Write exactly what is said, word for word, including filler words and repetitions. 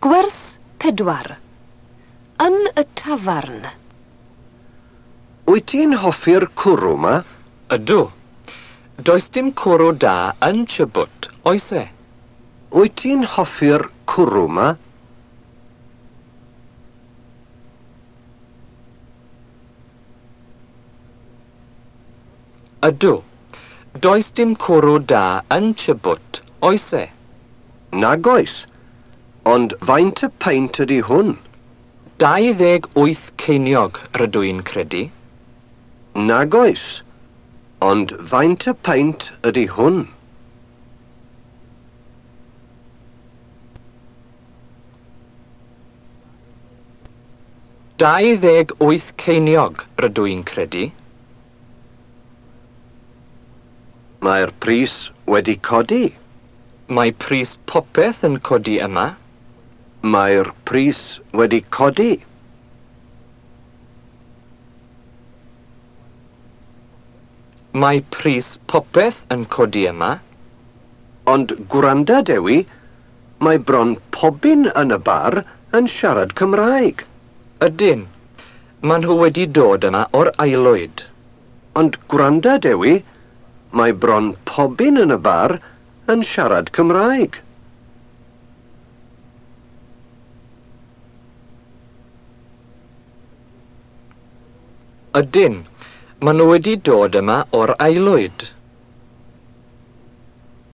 Gwers pedwar. Yn y tafarn. Wyt ti'n hoffi'r cwrw 'ma? Ydw. Does dim cwrw da yn Chubut, oes e? Wyt ti'n hoffi'r cwrw 'ma? Ydw. Does dim cwrw da yn Chubut, oes e? Nag oes. Ond faint y peint ydy hwn? Dau ddeg wyth ceiniog, rydw i'n credu. Nag oes. Ond faint y peint ydy hwn? Dau ddeg wyth ceiniog, rydw i'n credu. Mae'r pris wedi codi. Mae pris popeth yn codi yma. Mae'r pris wedi codi. Mae pris popeth yn codi yma. Ond gwranda, Dewi, mae bron pobun yn y bar yn siarad Cymraeg. Ydyn. Maen nhw wedi dod yma o'r aelwyd. Ond gwranda, Dewi, mae bron pobun yn y bar yn siarad Cymraeg. Ydyn. Maen nhw wedi dod yma o'r aelwyd.